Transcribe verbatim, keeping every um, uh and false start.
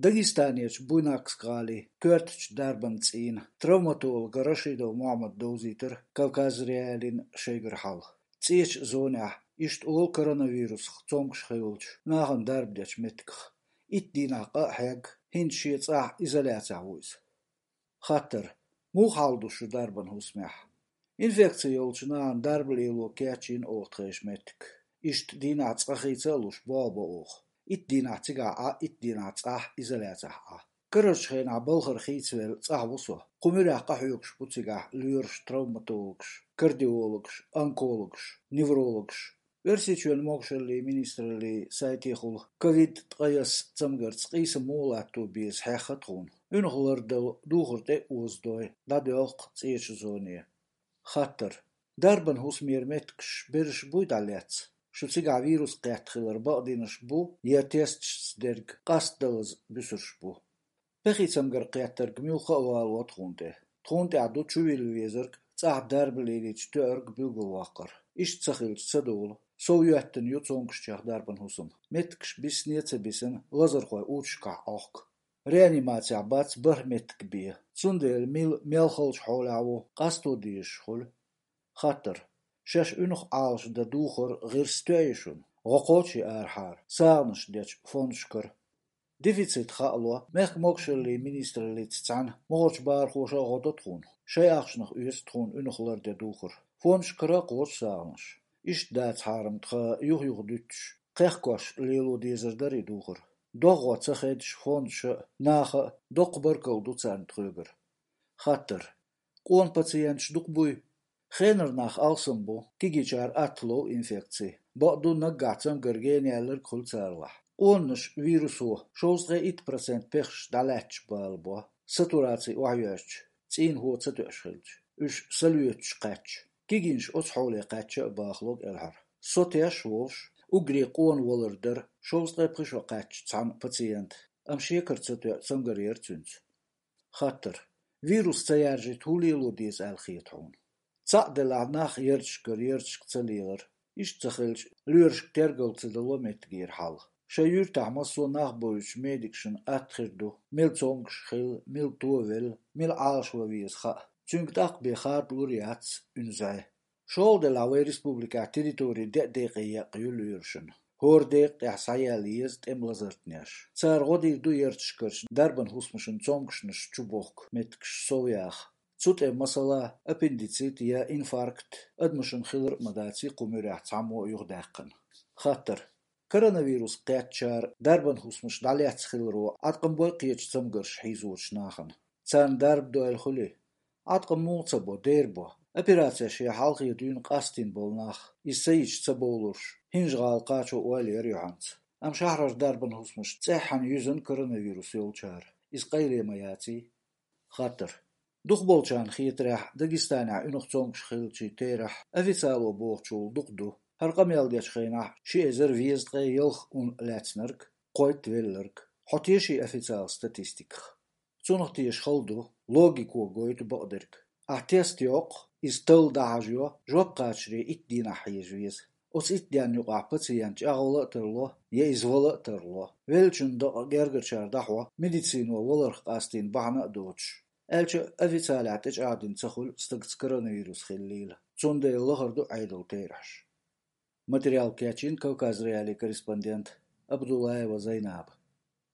Дагестанерчу Буйнакск-гӀалин коьртачу дарбан цӀийнан травматолога Рашидов Мухьаммада довзийтира Кавказ.Реалиин шайгара хьал. ЦӀечу зонехь, иштта олу коронавирусах цомгуш хиллачу нахана дарба дечу меттигах. Итт дийнахь къа а хьегна, хӀинца шен цӀахь изоляцехь ву иза. Хаттар: муха хьал ду шу дарбан хӀусамехь? Инфекци йолчу нахана дарба лело кечйина оха тхайша меттиг. Иштта дийнахь цкъа хийца а луш, болх бо оха. Итт дийнахь цигахь Ӏа, итт дийнахь цӀахь изоляцехь Ӏа. Карарчу хенахь балхара хийцавелла цӀахь ву со. Кху муьрехь къахьоьгуш бу цигахь лоьраш, травматологаш, кардиологаш, онкологаш, неврологаш. Оьрсийчоьнан могушаллин министраллин сайтехула ковид ткъаесна цамгарца къийса муха латто беза хьехна тхуна. Уьнах лардала духар тӀе а озадой, дӀадоьлху цӀечу зоне. Хаттар: дарбан хӀусамера меттигаш берриш буй дӀалаьцна? Шу цигахь вирус кхетта хилар бакъдинарш бу я тесташца дерг къастдалаза буьсурш бу? Пехи цамгар кхеттарг муьлхха а валаво тхуна тӀе. Тхуна тӀехь ду чувилла везарг, цӀахь дарба лелийча тоьарг билгалваккхар. Иштта ца хилча ца довла. Сов йоьттина ю цомгушчех дарбан хӀусам. Меттигаш бисане а ца бисина, лазархой учашкахь Ӏохку. Реанимацехь бац бархӀ меттиг бен. Цундела мила мел халчу хьолехь ву, къасто дезаш хуьлу. Хаттар: шаьш уьнах Ӏалашдан духар гӀирс тоьий шуна? ГӀо кхочий арахьара, сагӀанаш дечу фондашкара? Дефицит хаало, мехкан могушаллин министраллица цхьаьна могӀарчу бахархоша а гӀо до тхуна. Шайн ахчанах оьцу тхуна уьнах лардан духар. Фондашкара а кхочу сагӀанаш. Иштта дацахьара-м тхан юха-юха дуьтуш, кхехкош лело дезар дара и духар. ДогӀа ца хедаш фондаша а, наха а доккха баркалла ду царна тхоьгара. Хаттар: къона пациенташ дукха буй? Хенара нах алсам бу, кегийчара атта лов инфекци. Бакъду, наггахь цамгар гена яьлларг хуьлу царалахь. Къонанаша вирусо шовзткъе итт процент пехаш дӀалаьцча бала бо, сатураци охьайоьжча, цӀийнхо ца тоьуш хилча. Уьш салоьцуш кхаьчча. Кегийнаш оцу хьоле кхаьчча а бахало кӀелхьара. Со теш а волуш, уггаре къона валар дара шовзткъе пхи шо кхаьчча цхьана пациента, амма шекара ца тоьу цамгар яра цуьнца. Хаттар: вирус ца яржийта хӀун лело деза аьлла хета хьуна? Цхьаъ делахь нах ярташкара ярташка ца лелар. Иштта ца хилча, лоьрашка тергал ца дало меттигера хьал. Шайн юьртахь массо а нах бойучу медикашна атта хир ду, мила цомгуш хилла, мила товелла, мила Ӏалашван веза хаа. Цуьнга тӀаккха бен хадалур яц уьнзай. ШолгӀа делахь вайн республикехь территори деа-декъе екъна ю лоьрашна. ХӀора декъа тӀехь схьаяьлла еза тӀеман лазартнеш. Цара гӀо дийр ду ярташкарчу дарбан хӀусамашна цомгушнаш чубохку меттигаш сов яха. Цу тӀе, масала, аппендицит я инфаркт адамашна хилар а ма даций кху муьрехь цхьаммо а юхадаьккхина. Хаттар: коронавирус кхеттачара дарбан хӀусамаш дӀалаьцна хиларо Ӏаткъам бой кхечу цамгарша хьийзочу нахана? Царна дарба дойла хуьлий? Ӏаткъам муха ца бо, дера бо. Операцеш я хьалхе дуьйна къастийна болу нах, иза ца йича ца бовлурш, ХӀинжа-ГӀала кхачо ойла яра юьхьанца. Амма шахьарара дарбан хӀусамаш цӀеххьана юьзна коронавирус йолчара. Иза къайле ма яций? Хаттар: дукхахболчарна хетарехь, Дагестанехь уьнах цомгуш хиллачийн терахь официало бохучул дукха ду. ХӀара къамел дечу хенахь ши эзар везткъе ялх ун лаьцнарг, кхойтта велларг. Хьо теший официал статистиках? Цунах теша хала ду, логико гойту бакъдерг. Ахь тест йоккху, иза талла дӀахьажайо, жоп кхачаре итт дийнахь хьежа веза. Оцу итт денна юкъахь пациент чӀагӀвала а тарло, я иза вала а тарло. Веллачун дакъа гергарчара дӀахьо, медицино валарх къастийна бахьана а доцуш. Аьлча а, официалехь тӀечӀагӀдина ца хуьлу стагца коронавирус хиллийла. Цундела лахара ду Ӏедалан терахьаш. Материал кечйина Кавказ.Реалиин корреспондента Абдуллаева Зайнаба.